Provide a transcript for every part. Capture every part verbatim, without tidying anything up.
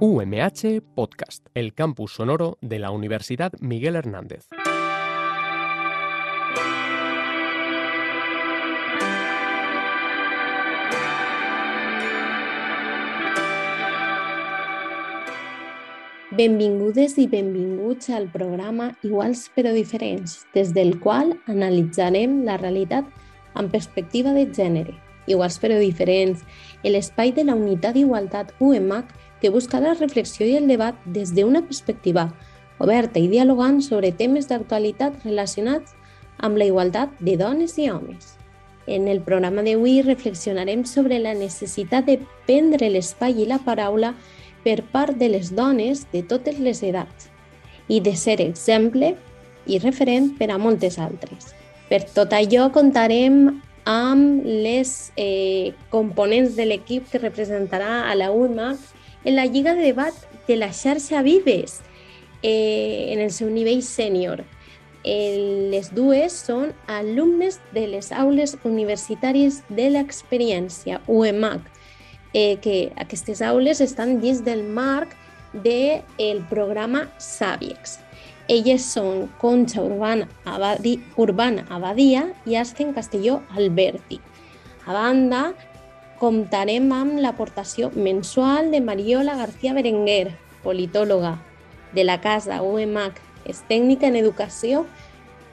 U M H Podcast, el campus sonoro de la Universidad Miguel Hernández. Benvingudes i benvinguts al programa Iguals però diferents, des del qual analitzarem la realitat amb perspectiva de gènere. Iguals però diferents, l'espai de la Unitat d'Igualtat U M H que busca la reflexió i el debat des d'una perspectiva oberta i dialogant sobre temes d'actualitat relacionats amb la igualtat de dones i homes. En el programa d'avui reflexionarem sobre la necessitat de prendre l'espai i la paraula per part de les dones de totes les edats i de ser exemple i referent per a moltes altres. Per tot allò contarem amb les eh, components de l'equip que representarà a la U M H en la Lliga de Debat de la xarxa Vives, eh, en el seu nivell sènior. Eh, les dues són alumnes de les aules universitàries de l'experiència U M H, eh, que aquestes aules estan dins del marc del programa Sabiex. Elles són Concha Urbana, Abadi, Urbana Abadia i Asken Castelló Alberti. A banda, comptarem amb l'aportació mensual de Mariola García Berenguer, politòloga de la Casa U M H, és tècnica en educació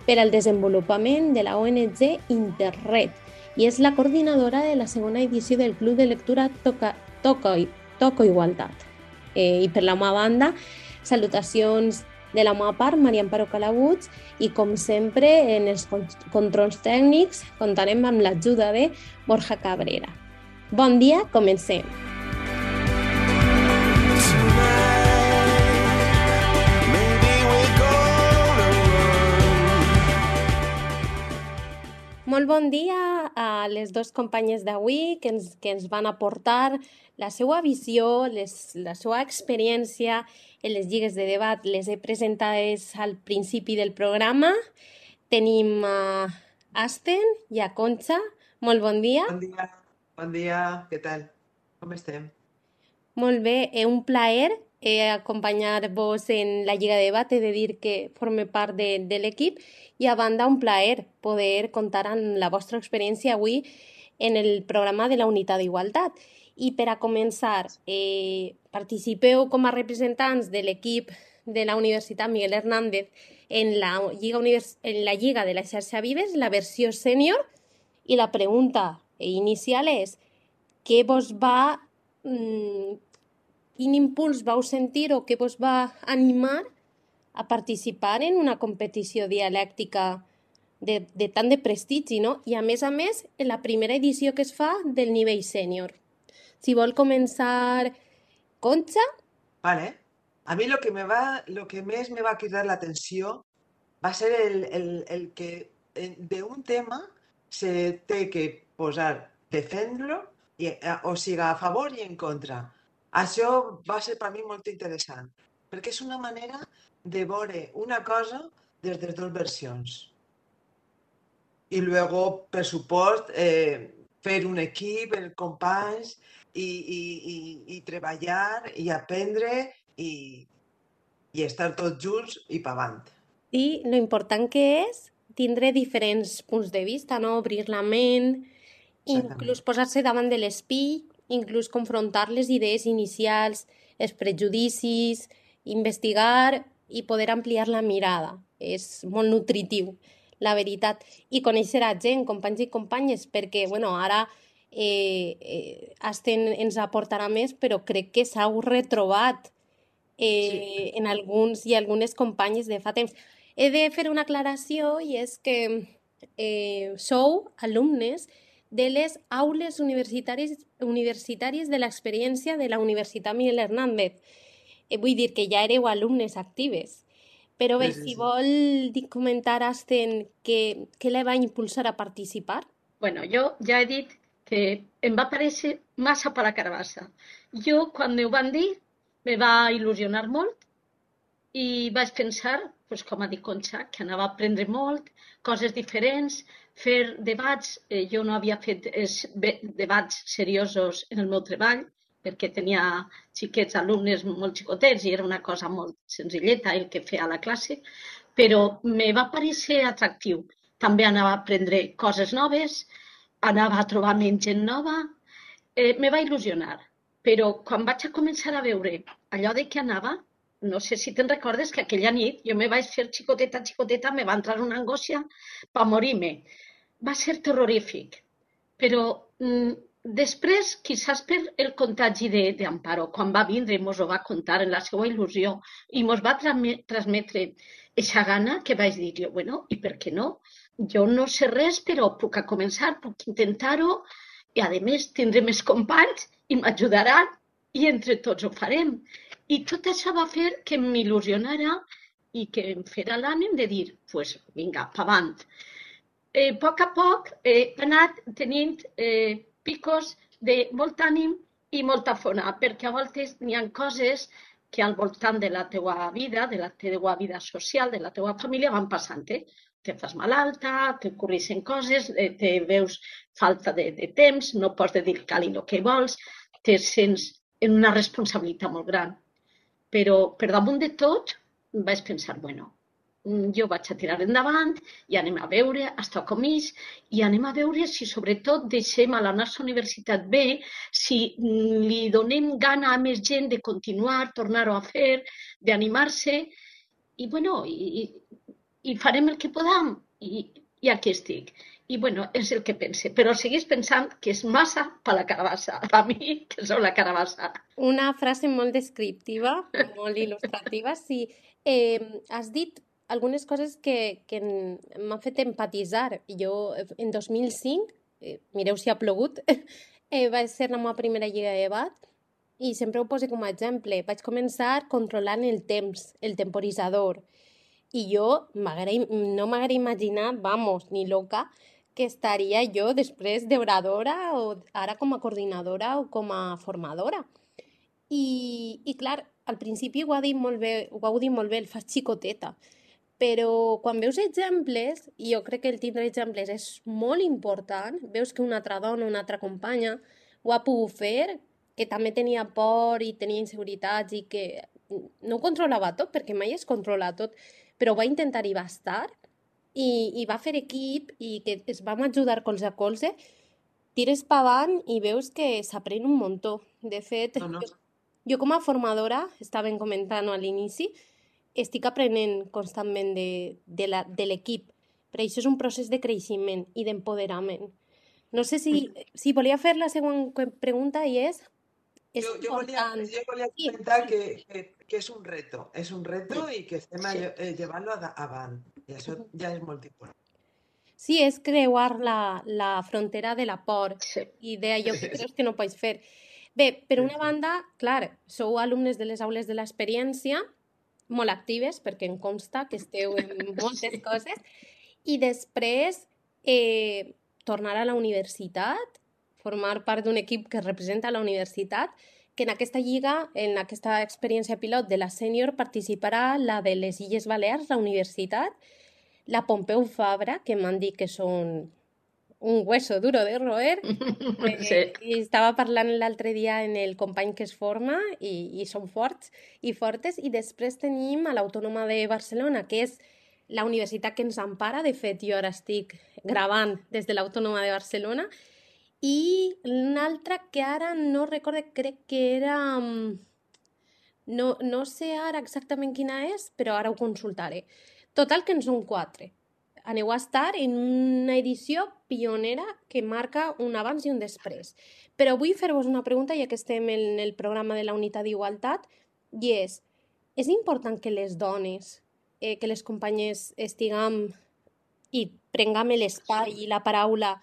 per al desenvolupament de la O N G Interred i és la coordinadora de la segona edició del Club de Lectura Toca, Toco, Toco Igualtat. Eh, I per la meva banda, salutacions de la meva part, Maria Amparo Calabuig, i com sempre en els controls tècnics comptarem amb l'ajuda de Borja Cabrera. Bon dia, comencem. Molt bon dia a les dues companyes d'avui que ens, que ens van aportar la seva visió, les, la seva experiència en les lligues de debat. Les he presentades al principi del programa. Tenim a Asten i a Concha. Molt bon dia. Bon dia, bon dia, què tal? Com estem? Molt bé, és un plaer eh, acompanyar-vos en la Lliga de Debat. He de dir que forme part de, de l'equip i a banda un plaer poder comptar amb la vostra experiència avui en el programa de la Unitat d'Igualtat. I per a començar, eh, participeu com a representants de l'equip de la Universitat Miguel Hernández en la Lliga, Univers... en la Lliga de la xarxa Vives, la versió sènior, i la pregunta inicial és què vos va, mmm, quin impuls vau sentir o què vos va animar a participar en una competició dialèctica de, de tant de prestigi, no? I a més a més, en la primera edició que es fa del nivell sènior. Si vol començar, Concha. Vale. A mí lo que me va, lo que más me va a quitar la atención va a ser el, el, el que de un tema se té que posar, defendre-lo, o sigui, a favor i en contra. Això va ser per mi molt interessant, perquè és una manera de veure una cosa des de les dues versions. I luego, per supost, eh, fer un equip, els companys, i, i, i, i treballar, i aprendre, i, i estar tots junts i per avant. I lo important que és tindre diferents punts de vista, no? Obrir la ment, inclús posar-se davant de l'espill, inclús confrontar les idees inicials, els prejudicis, investigar i poder ampliar la mirada. És molt nutritiu, la veritat. I conèixer a gent, companys i companyes, perquè, bueno, ara eh, eh, Asten ens aportarà més, però crec que s'heu retrobat eh, sí. en alguns i algunes companyes de fa temps. He de fer una aclaració i és que eh, sou alumnes de les aules universitàries, universitàries de l'experiència de la Universitat Miguel Hernández. Eh, vull dir que ja éreu alumnes actives. Però bé, sí, sí, sí. Si vol comentar, Asten, què, què la va impulsar a participar? Bueno, jo ja he dit que em va parèixer massa per la carbassa. Jo, quan m'ho van dir, me va il·lusionar molt i vaig pensar, pues, com ha dit Concha, que anava a aprendre molt, coses diferents, fer debats. Eh, jo no havia fet es, be, debats seriosos en el meu treball perquè tenia xiquets, alumnes molt xicotets i era una cosa molt senzilleta el que feia a la classe, però me va parecer atractiu. També anava a aprendre coses noves, anava a trobar-me amb gent nova, eh, me va il·lusionar. Però quan vaig a començar a veure allò de què anava, no sé si te'n recordes que aquella nit jo me vaig fer xicoteta, xicoteta, me va entrar una angòcia per morir-me. Va ser terrorífic, però mm, després, quizás per el contagi d'Amparo, quan va vindre i ens ho va contar en la seva il·lusió i ens va transmetre aquesta gana que vaig dir jo, bueno, i per què no? Jo no sé res, però puc a començar, puc intentar-ho i, a més, tindré més companys i m'ajudaran i entre tots ho farem. I tot això va fer que m'il·lusionara i que em fera l'ànim de dir, doncs pues, vinga, pa avant. Eh, a poc a poc he anat tenint eh, picos de molt ànim i molta fona, perquè a voltes n'hi ha coses que al voltant de la teua vida, de la teua vida social, de la teua família, van passant-te. Te fas malalta, t'ocorreixen coses, eh, te veus falta de, de temps, no pots dedicar-li el que vols, te sents en una responsabilitat molt gran. Però per damunt de tot vaig pensar, bueno, jo vaig a tirar endavant i anem a veure, estar com ells, i anem a veure si sobretot deixem a la nostra universitat bé, si li donem gana a més gent de continuar, tornar-ho a fer, d'animar-se, i bueno, i, i farem el que podam, i, i aquí estic. I bueno, és el que pense, però seguís pensant que és massa per la carabassa, per mi, que sou la carabassa. Una frase molt descriptiva, molt il·lustrativa, sí. Eh, has dit algunes coses que, que m'han fet empatitzar. Jo, en dos mil cinc, eh, mireu si ha plogut, eh, vaig ser la meva primera lliga de bat i sempre ho poso com a exemple. Vaig començar controlant el temps, el temporitzador. I jo no m'haguera imaginat, vamos, ni loca, que estaria jo després d'oradora o ara com a coordinadora o com a formadora. I, i clar, al principi ho ha dit molt bé, ho heu dit molt bé, el fas xicoteta, però quan veus exemples, i jo crec que el tindre exemples és molt important, veus que una altra dona, una altra companya ho ha pogut fer, que també tenia por i tenia inseguretats i que no ho controlava tot, perquè mai es controla tot, però va intentar i va estar, i, i va fer equip i que es vam ajudar colze a colze, tires pa avant i veus que s'aprèn un muntó. De fet, no, no. Jo, jo com a formadora, estaven comentant a l'inici, estic aprenent constantment de, de, la, de l'equip, però això és un procés de creixement i d'empoderament. No sé si, si volia fer la següent pregunta i és... és jo, jo, volia, jo volia comentar sí, sí. Que, que, que és un reto, és un reto sí. I que estem sí. a llevar-lo avant, i això ja és molt important. Sí, és creuar la, la frontera de la por sí. I d'allò que creus que no pots fer. Bé, per una banda, clar, sou alumnes de les aules de l'experiència, molt actives, perquè em consta que esteu en moltes coses, i després eh, tornar a la universitat, formar part d'un equip que representa la universitat, que en aquesta lliga, en aquesta experiència pilot de la sènior, participarà la de les Illes Balears, la universitat, la Pompeu Fabra, que m'han dit que són un hueso duro de roer, eh, sí. I estava parlant l'altre dia en el company que es forma i, i són forts i fortes, i després tenim a l'Autònoma de Barcelona, que és la universitat que ens empara. De fet, jo ara estic gravant des de l'Autònoma de Barcelona, i una altra que ara no recordo, crec que era... No, no sé ara exactament quina és, però ara ho consultaré. Total, que en són quatre. Aneu a estar en una edició pionera que marca un abans i un després. Però vull fer-vos una pregunta, ja que estem en el programa de la Unitat d'Igualtat, i és, és important que les dones, eh, que les companyes estiguem i prenguem l'espai i la paraula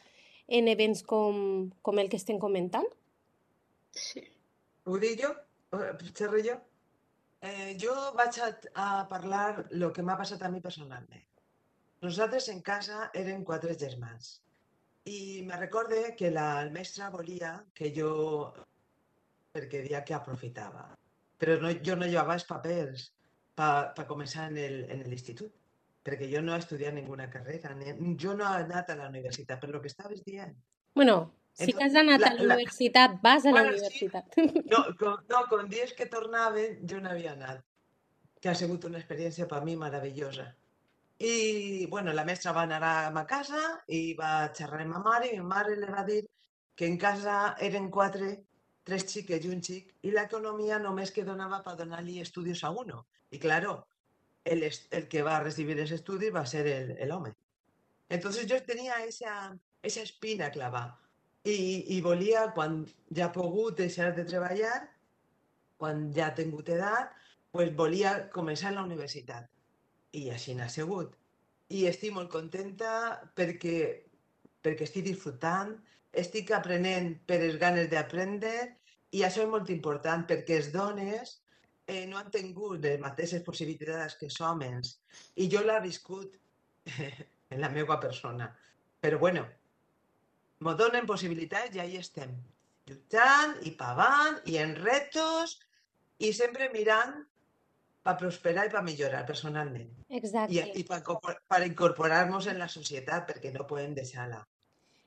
en events com, com el que estem comentant? Sí. Ho dic jo? Xerro jo? Eh, jo vaig a, a parlar el que m'ha passat a mi personalment. Nosaltres en casa érem quatre germans i me recorde que la el mestre volia que jo, perquè dia que aprofitava, però no, jo no llevava els papers per pa començar en l'institut, perquè jo no he estudiat ninguna carrera, ni, jo no he anat a la universitat, per lo que estaves dient. Bueno, Sí que has anat a la universitat, vas a la Bueno, sí, universitat. no, con, no, con dies que tornaven jo no havia anat, que ha sigut una experiència per mi meravellosa. I, bueno, la mestra va anar a ma casa i va xerrar amb ma mare i ma mare li va dir que en casa eren quatre, tres xiques i un xic, i l'economia només que donava per donar-li estudis a uno. I, claro, el, est- el que va recibir ese estudi va ser el, el home. Entonces yo tenía esa, esa espina clavada i, i volia, quan ja he pogut deixar de treballar, quan ja he tingut edat, pues volia començar la universitat. I així n'ha sigut. I estic molt contenta perquè, perquè estic disfrutant, estic aprenent per les ganes d'aprendre i això és molt important perquè les dones eh, no han tingut les mateixes possibilitats que els homes i jo l'he viscut en la meva persona. Però bueno, m'ho donen possibilitats i ahí estem, lluitant i pavant i en retos i sempre mirant per prosperar i per millorar personalment. I, Exacte. i per, per incorporar-nos en la societat, perquè no podem deixar-la.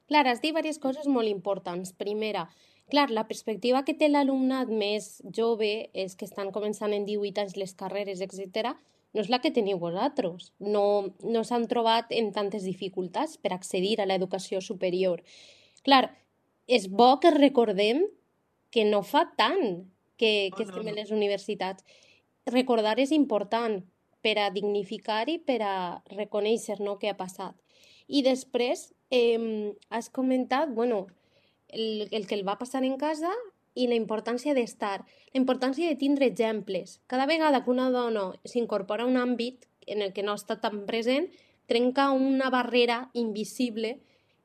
Clar, has dit diverses coses molt importants. Primera, clar, la perspectiva que té l'alumnat més jove, és que estan començant en divuit anys les carreres, etcètera, no és la que teniu vosaltres. No, no s'han trobat en tantes dificultats per accedir a l'educació superior. Clar, és bo que recordem que no fa tant que, que No, no, estem no. en les universitats. Recordar és important per a dignificar i per a reconèixer, no, què ha passat. I després eh, has comentat, bueno, el, el que el va passar en casa i la importància d'estar, la importància de tindre exemples. Cada vegada que una dona s'incorpora a un àmbit en el que no està tan present, trenca una barrera invisible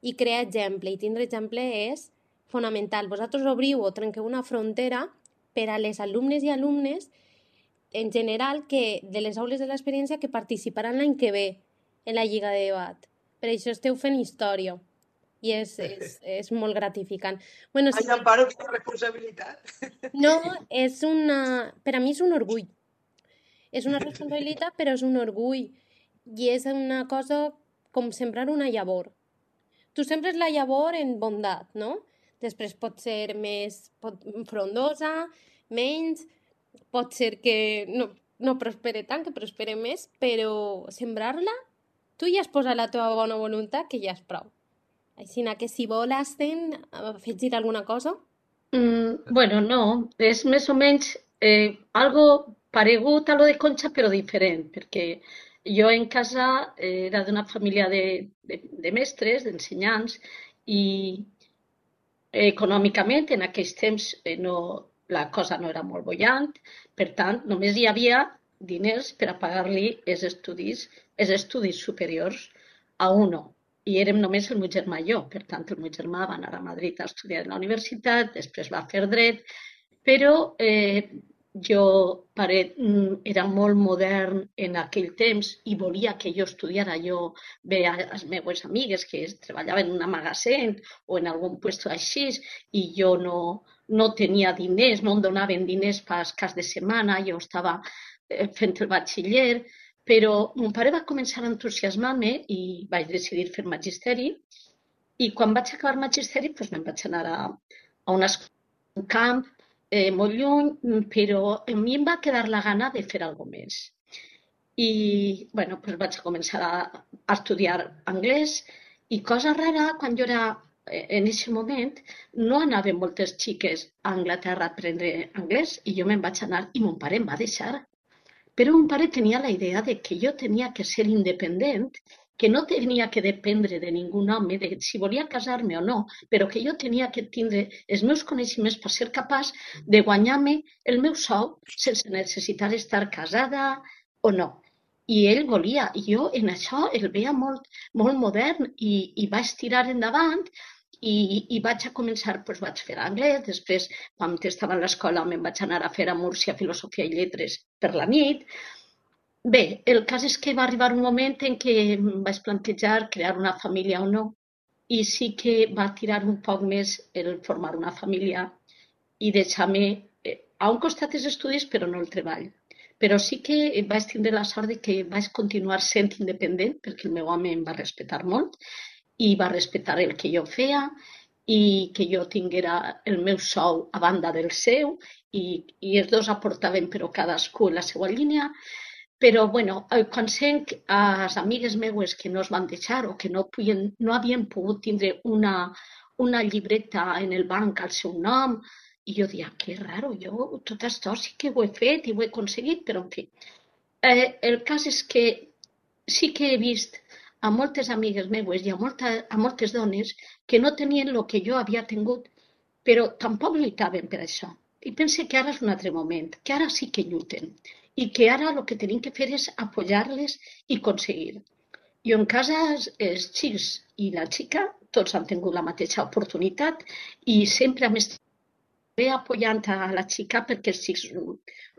i crea exemple. I tindre exemple és fonamental. Vosaltres obriu o trenqueu una frontera per a les alumnes i alumnes en general que de les aules de l'experiència que participaran l'any que ve en la Lliga de Debat. Per això esteu fent història i és, és, és molt gratificant. Bueno, Ai, si... Amparo, quina responsabilitat. No, és una... Per a mi és un orgull. És una responsabilitat, però és un orgull. I és una cosa com sembrar una llavor. Tu sembres la llavor en bondat, no? Després pot ser més pot, frondosa, menys, pot ser que no, no prospere tant, que prospere més, però sembrar-la, tu ja has posat la teva bona voluntat, que ja és prou. Així que si volen afegir alguna cosa... Mm, bueno, no, és més o menys eh, algo paregut a lo de Concha, però diferent, perquè jo en casa eh, era d'una família de, de, de mestres, d'ensenyants, i eh, econòmicament en aquells temps eh, no, la cosa no era molt bollant, per tant, només hi havia diners per a pagar-li els estudis, els estudis superiors a uno. I érem només el meu germà i jo, per tant, el meu germà va anar a Madrid a estudiar a la universitat, després va fer dret, però eh, jo pare, era molt modern en aquell temps i volia que jo estudiara. Jo veia les meves amigues que treballaven en un magatzem o en algun lloc així i jo no, no tenia diners, no em donaven diners per cas de setmana, jo estava eh, fent el batxiller, però mon pare va començar a entusiasmar-me i vaig decidir fer magisteri i quan vaig acabar magisteri doncs me'n vaig anar a, a un camp eh, molt lluny, però a mi em va quedar la gana de fer alguna més. I bueno, doncs vaig començar a, a estudiar anglès i cosa rara, quan jo era en aquest moment no anaven moltes xiques a Anglaterra a aprendre anglès i jo me'n vaig anar i mon pare em va deixar. Però mon pare tenia la idea de que jo tenia que ser independent, que no tenia que dependre de ningú home, de si volia casar-me o no, però que jo tenia que tindre els meus coneixements per ser capaç de guanyar-me el meu sou sense necessitar estar casada o no. I ell volia, i jo en això el veia molt, molt modern i, i vaig tirar endavant i, i vaig a començar, doncs vaig fer anglès, després quan estava a l'escola me'n vaig anar a fer a Múrcia Filosofia i Lletres per la nit. Bé, el cas és que va arribar un moment en què em vaig plantejar crear una família o no i sí que va tirar un poc més el formar una família i deixar-me eh, a un costat els estudis però no el treball. Però sí que vaig tindre la sort de que vaig continuar sent independent perquè el meu home em va respectar molt i va respectar el que jo feia i que jo tinguera el meu sou a banda del seu i, i els dos aportaven però cadascú en la seva línia. Però, bueno, quan sent a les amigues meues que no es van deixar o que no, puien, no havien pogut tindre una, una llibreta en el banc al seu nom, i jo deia, que raro, jo tot això sí que ho he fet i ho he aconseguit, però en fi. Eh, el cas és que sí que he vist a moltes amigues meues i a, molta, a moltes dones que no tenien el que jo havia tingut, però tampoc lluitaven per això. I pense que ara és un altre moment, que ara sí que lluiten i que ara el que tenim que fer és apoyar-les i aconseguir. I en casa els xics i la xica tots han tingut la mateixa oportunitat i sempre hem estat bé apoyant a la xica perquè els xics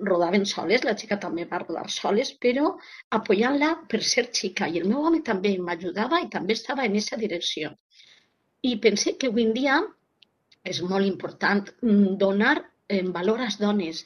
rodaven soles, la xica també va rodar soles, però apoyant-la per ser xica. I el meu home també m'ajudava i també estava en aquesta direcció. I pense que avui en dia és molt important donar en valor a les dones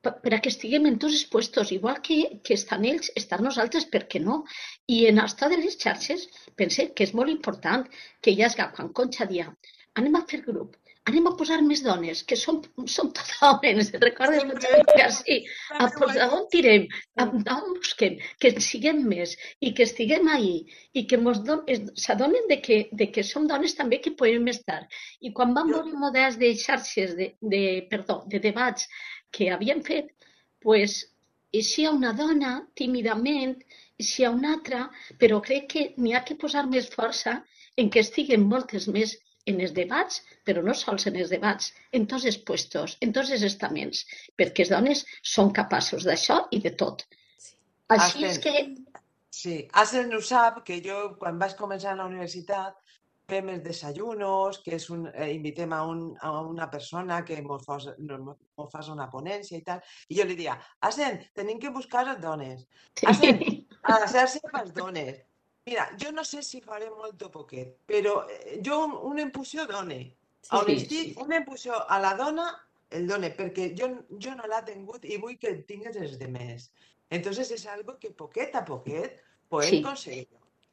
per a que estiguem en tots els puestos, igual que, que estan ells, estan nosaltres, per què no? I en això de les xarxes pense que és molt important que hi hagi, quan Conxa dia, anem a fer grup, anem a posar més dones, que som, som tot homes, recordes mucha que sí, a, pues, a on tirem, a, a on busquem, que siguem més i que estiguem ahí i que s'adonen de, que, de que som dones també que podem estar. I quan vam veure models de xarxes, de, de, perdó, de debats que havien fet, pues, si hi ha una dona, tímidament, si hi ha una altra, però crec que n'hi ha que posar més força en que estiguen moltes més en els debats, però no sols en els debats, en tots els puestos, en tots els estaments, perquè les dones són capaços d'això i de tot. Sí. Així és que... Sí, Aslen ho sap, que jo quan vaig començar a la universitat fem els desayunos, que és un, eh, invitem a, un, a una persona que ens fos, no, fas una ponència i tal, i jo li dia, Aslen, tenim que buscar les dones. Aslen, a la xarxa per les dones. Mira, jo no sé si faré molt o poquet, però jo una impulsió done. Sí, on estic, sí. Una impulsió a la dona, el done, perquè jo, jo no l'he tingut i vull que tingues els de més. Entonces és algo que poquet a poquet podem sí. aconseguir.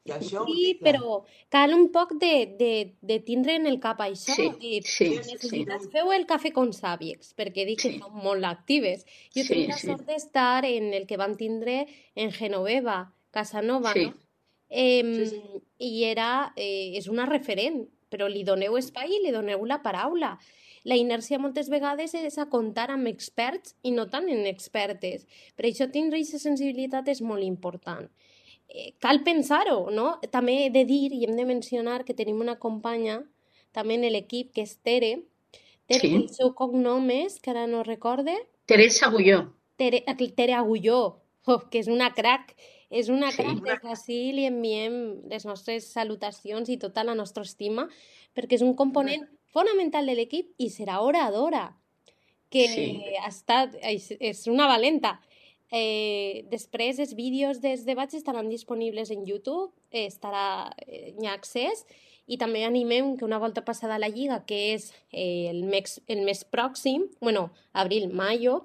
I això sí, però cal un poc de, de, de tindre en el cap això. Sí, de, sí, necessitats, sí. feu el cafè con sàvics, perquè dic sí. que són molt actives. Jo sí, tinc la sí. sort d'estar en el que vam tindre en Genoveva, Casanova, sí. no? Eh, sí, sí. I era, eh, és una referent, però li doneu espai i li doneu la paraula. La inèrcia moltes vegades és a comptar amb experts i no tant en expertes. Per això tindre aquesta sensibilitat és molt important. Eh, cal pensar-ho, no? També he de dir i hem de mencionar que tenim una companya també en l'equip que és Tere. Tere, sí. El seu cognom és, que ara no recorde... Teresa Agulló. Tere, Tere Agulló, oh, que és una crac. És una sí. crac, des d'ací li enviem les nostres salutacions i tota la nostra estima, perquè és un component fonamental de l'equip i serà oradora, que sí. ha estat, és una valenta. Eh, després els vídeos dels debats estaran disponibles en YouTube, eh, estarà, eh, hi ha accés, i també animem que una volta passada a la Lliga, que és eh, el, mes, el mes pròxim, bueno, abril, maio,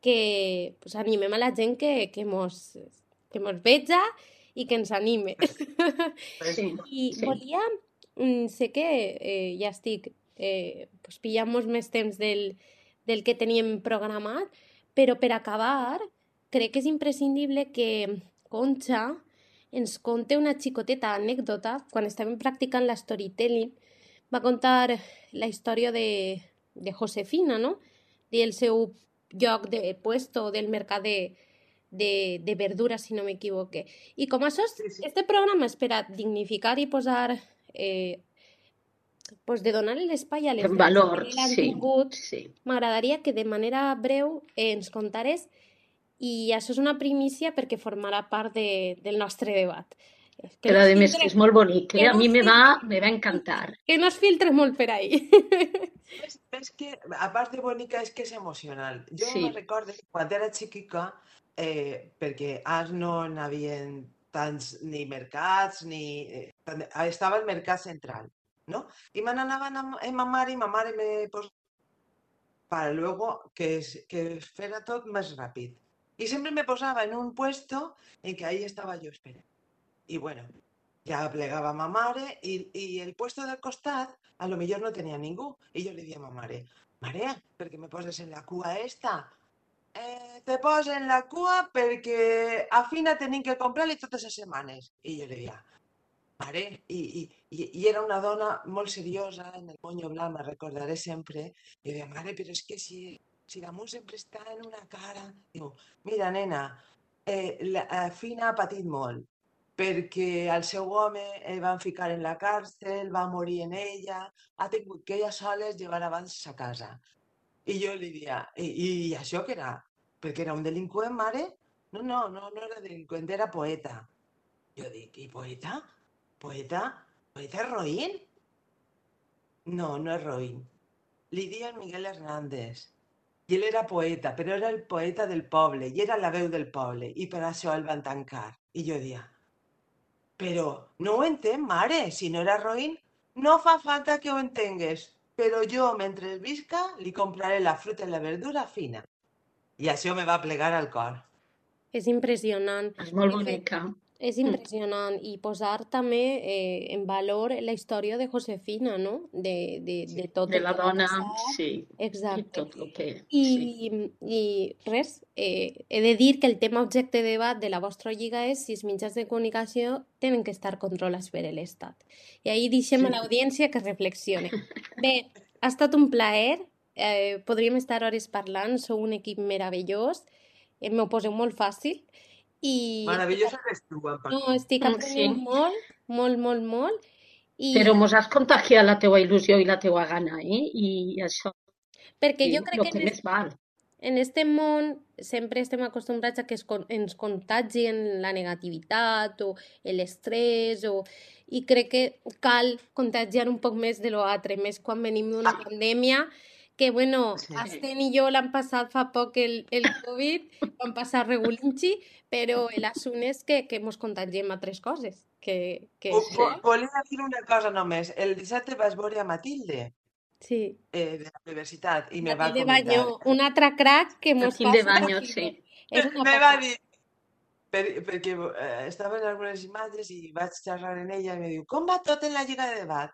que pues, animem a la gent que, que mos... que mos veja i que ens anime. Sí, I sí. volia, sé que eh, ja estic eh, pues, pillant molt més temps del, del que teníem programat, però per acabar crec que és imprescindible que Conxa ens conte una xicoteta anècdota. Quan estàvem practicant la storytelling va contar la història de, de Josefina, no? Del seu lloc de puesto del mercat de De, de verduras, si no m'equivoque. I com això, sí, sí. este programa és per a dignificar i posar, eh, pues de donar l'espai a les valor, que l'han sí, tingut, sí. M'agradaria que de manera breu eh, ens contares, i això és una primícia perquè formarà part de, del nostre debat. Que Però a més que és molt bonic, que, que a no mi me va, me va encantar. Que no es filtre molt per ahí. És, és que, a part de bonica, és que és emocional. Jo sí. me recordo, quan era xiquica, Eh, perquè ara no n'hi havia tants ni mercats, ni... Eh, estava el mercat central, ¿no? I me n'anaven amb ma mare i ma mare me posava para luego que, que fuera tot més ràpid. I sempre me posava en un puesto en que ahí estava jo esperant. I bueno, ja plegava ma mare i, i el puesto del costat a lo millor no tenia ningú. I jo li dia a ma mare, mare, per què me poses en la cua esta? Eh, te poses en la cua perquè a Fina tenim que comprar-li totes les setmanes. I jo li dia, mare, i, i, i era una dona molt seriosa, en el moño blanc, me recordaré sempre. I jo deia, mare, però és que si, si damunt sempre està en una cara... Diu, mira, nena, eh, la eh, Fina ha patit molt, perquè el seu home el van ficar en la càrcel, va morir en ella, ha tingut que ella sola llevar abans a casa. I jo li dia, I, i això què era? Perquè era un delinqüent, mare? No, no, no, no era delinqüent, era poeta. Jo dic, i poeta? Poeta? Poeta és roïn? No, no és roïn. Li diuen Miguel Hernández. I ell era poeta, però era el poeta del poble, i era la veu del poble, i per això el van tancar. I jo dia, però no ho entenc, mare, si no era roïn, no fa falta que ho entengues, però jo, mentre visca, li compraré la fruta i la verdura fina. I això me va plegar al cor. És impressionant. És molt bonica. És impressionant i posar també eh, en valor la història de Josefina, no? De, de, de tot De el la que va dona, passar. sí. Exacte. I tot el que... I, sí. i res, eh, he de dir que el tema objecte de debat de la vostra lliga és si els mitjans de comunicació tenen que estar controlats per l'Estat. I ahir deixem a l'audiència que reflexione. Bé, ha estat un plaer, eh, podríem estar hores parlant, sou un equip meravellós, eh, m'ho poseu molt fàcil. I Meravellós eres tu, Amparo. no, estic aprenent Sí. molt, molt, molt, molt. I Però mos has contagiat la teua il·lusió i la teua gana, eh? I això perquè és jo crec el que que en, més val. en este món sempre estem acostumbrats a que es, con- ens contagien la negativitat o l'estrès o... i crec que cal contagiar un poc més de l'altre, més quan venim d'una pandèmia que, bueno, Sí. Asten i jo l'han passat fa poc el, el Covid, vam passar regulinxi, però l'assunt és que, que mos contagiem altres coses. Que, que Vo- això, vo- Volia dir una cosa només. El dissabte vaig veure a Matilde, sí. eh, de la universitat, i me va Matilde comentar. Bañó, un altre crack que mos Matilde passa Baño, aquí. sí. És una Me va passada. dir, per, perquè eh, estava en algunes imatges i vaig xerrar en ella i me diu, com va tot en la lliga de debat?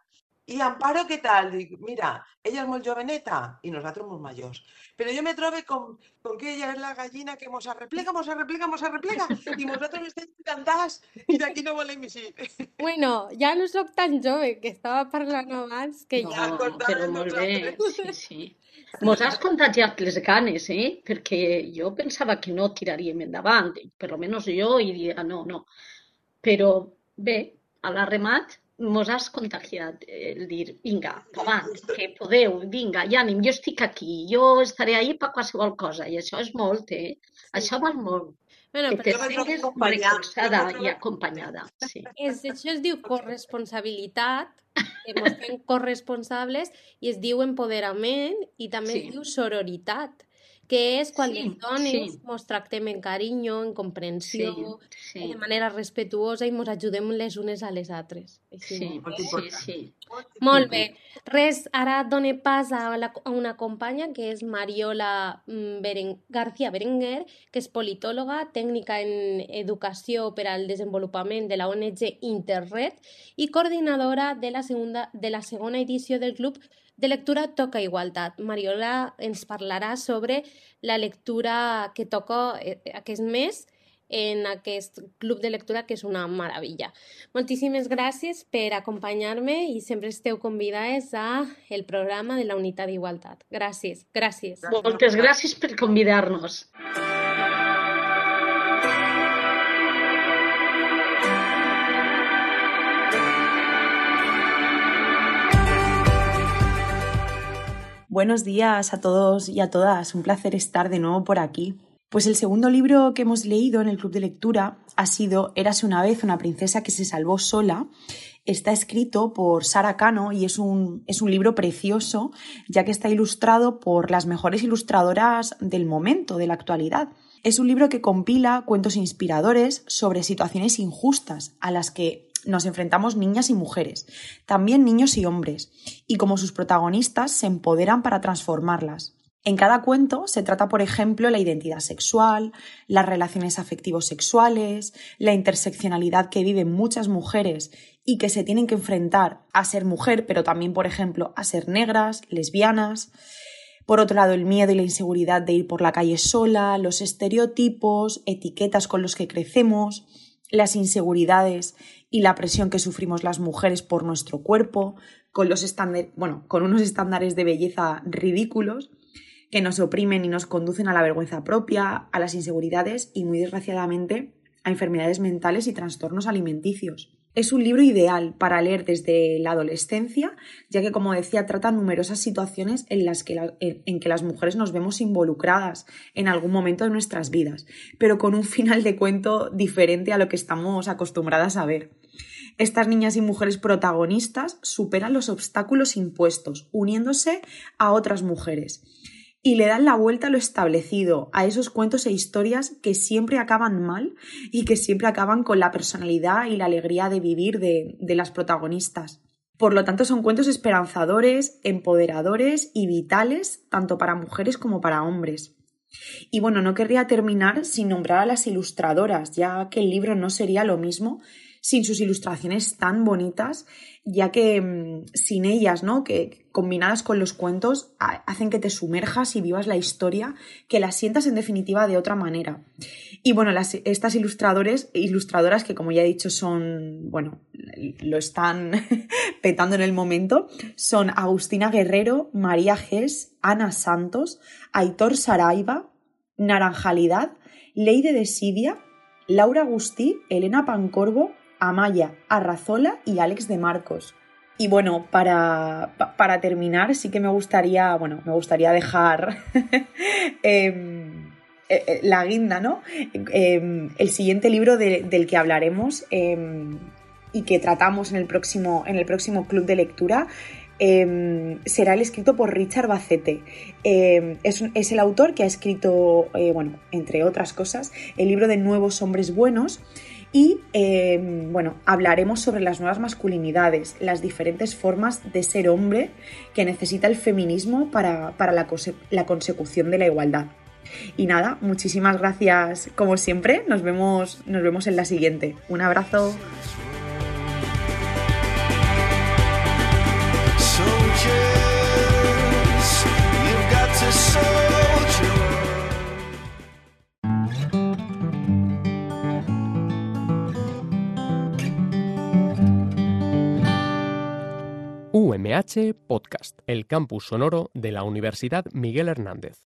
I Amparo, què tal? Dic, mira, ella és molt joveneta i nosaltres molt majors. Però jo me trobo com, com que ella és la gallina que mos arreplega, mos arreplega, mos arreplega i nosaltres estem encantats i d'aquí no volem eixir. Bueno, ja no sóc tan jove, que estava parlant abans, que No, ja... acordàvem però molt bé, nosaltres. sí, sí. Mos has contagiat les ganes, eh? Perquè jo pensava que no tiraríem endavant, per almenys jo, i diria no, no. Però bé, a l'arremat mos has contagiat el dir, vinga, avant, que podeu, vinga, i ànim, jo estic aquí, jo estaré ahí per qualsevol cosa, i això és molt, eh? Això val molt, Bueno, que però te Jo me trobo sigues acompanyada, recolzada jo me trobo- i acompanyada, sí. és, això es diu corresponsabilitat, que mos fem corresponsables, i es diu empoderament, i també Sí. es diu sororitat, que és quan Sí, les dones sí. mos tractem en carinyo, en comprensió, Sí, de sí, manera respetuosa i mos ajudem les unes a les altres. Així, sí, Molt sí, important. sí. Molt bé. Res, ara done pas a, la, a una companya que és Mariola mm, Beren, García Berenguer, que és politòloga, tècnica en educació per al desenvolupament de la O N G Interred i coordinadora de la, segunda, de la segona edició del Club de Lectura Toca Igualtat. Mariola ens parlarà sobre la lectura que toca eh, aquest mes en aquest club de lectura, que és una meravella. Moltíssimes gràcies per acompanyar-me i sempre esteu convidades a el programa de la Unitat d'Igualtat. Gràcies, gràcies. Moltes gràcies per convidar-nos. Buenos días a todos y a todas, un placer estar de nuevo por aquí. Pues el segundo libro que hemos leído en el club de lectura ha sido Érase una vez una princesa que se salvó sola. Está escrito por Sara Cano y es un, es un libro precioso, ya que está ilustrado por las mejores ilustradoras del momento, de la actualidad. Es un libro que compila cuentos inspiradores sobre situaciones injustas a las que nos enfrentamos niñas y mujeres, también niños y hombres, y como sus protagonistas se empoderan para transformarlas. En cada cuento se trata, por ejemplo, la identidad sexual, las relaciones afectivo-sexuales, la interseccionalidad que viven muchas mujeres y que se tienen que enfrentar a ser mujer, pero también, por ejemplo, a ser negras, lesbianas. Por otro lado, el miedo y la inseguridad de ir por la calle sola, los estereotipos, etiquetas con los que crecemos, las inseguridades y la presión que sufrimos las mujeres por nuestro cuerpo, con, los estándar- bueno, con unos estándares de belleza ridículos que nos oprimen y nos conducen a la vergüenza propia, a las inseguridades y, muy desgraciadamente, a enfermedades mentales y trastornos alimenticios. Es un libro ideal para leer desde la adolescencia, ya que, como decía, trata numerosas situaciones en las que, la, en, en que las mujeres nos vemos involucradas en algún momento de nuestras vidas, pero con un final de cuento diferente a lo que estamos acostumbradas a ver. Estas niñas y mujeres protagonistas superan los obstáculos impuestos, uniéndose a otras mujeres. Y le dan la vuelta a lo establecido, a esos cuentos e historias que siempre acaban mal y que siempre acaban con la personalidad y la alegría de vivir de, de las protagonistas. Por lo tanto, son cuentos esperanzadores, empoderadores y vitales, tanto para mujeres como para hombres. Y bueno, no querría terminar sin nombrar a las ilustradoras, ya que el libro no sería lo mismo sin sus ilustraciones tan bonitas, ya que mmm, sin ellas, ¿no? que combinadas con los cuentos, a, hacen que te sumerjas y vivas la historia, que la sientas en definitiva de otra manera. Y bueno, las, estas ilustradores, ilustradoras que, como ya he dicho, son, bueno, lo están petando en el momento, son Agustina Guerrero, María Gés, Ana Santos, Aitor Saraiva, Naranjalidad, Leide de Sidia, Laura Agustí, Elena Pancorbo, Amaya Arrazola y Alex de Marcos. Y bueno, para, para terminar, sí que me gustaría, bueno, me gustaría dejar eh, eh, la guinda, ¿no? Eh, el siguiente libro de, del que hablaremos eh, y que tratamos en el próximo, en el próximo club de lectura eh, será el escrito por Richard Bacete. Eh, es, es el autor que ha escrito, eh, bueno, entre otras cosas, el libro de Nuevos Hombres Buenos. Y, eh, bueno, hablaremos sobre las nuevas masculinidades, las diferentes formas de ser hombre que necesita el feminismo para, para la, cose- la consecución de la igualdad. Y nada, muchísimas gracias como siempre, nos vemos, nos vemos en la siguiente. Un abrazo. U M H Podcast, el campus sonoro de la Universidad Miguel Hernández.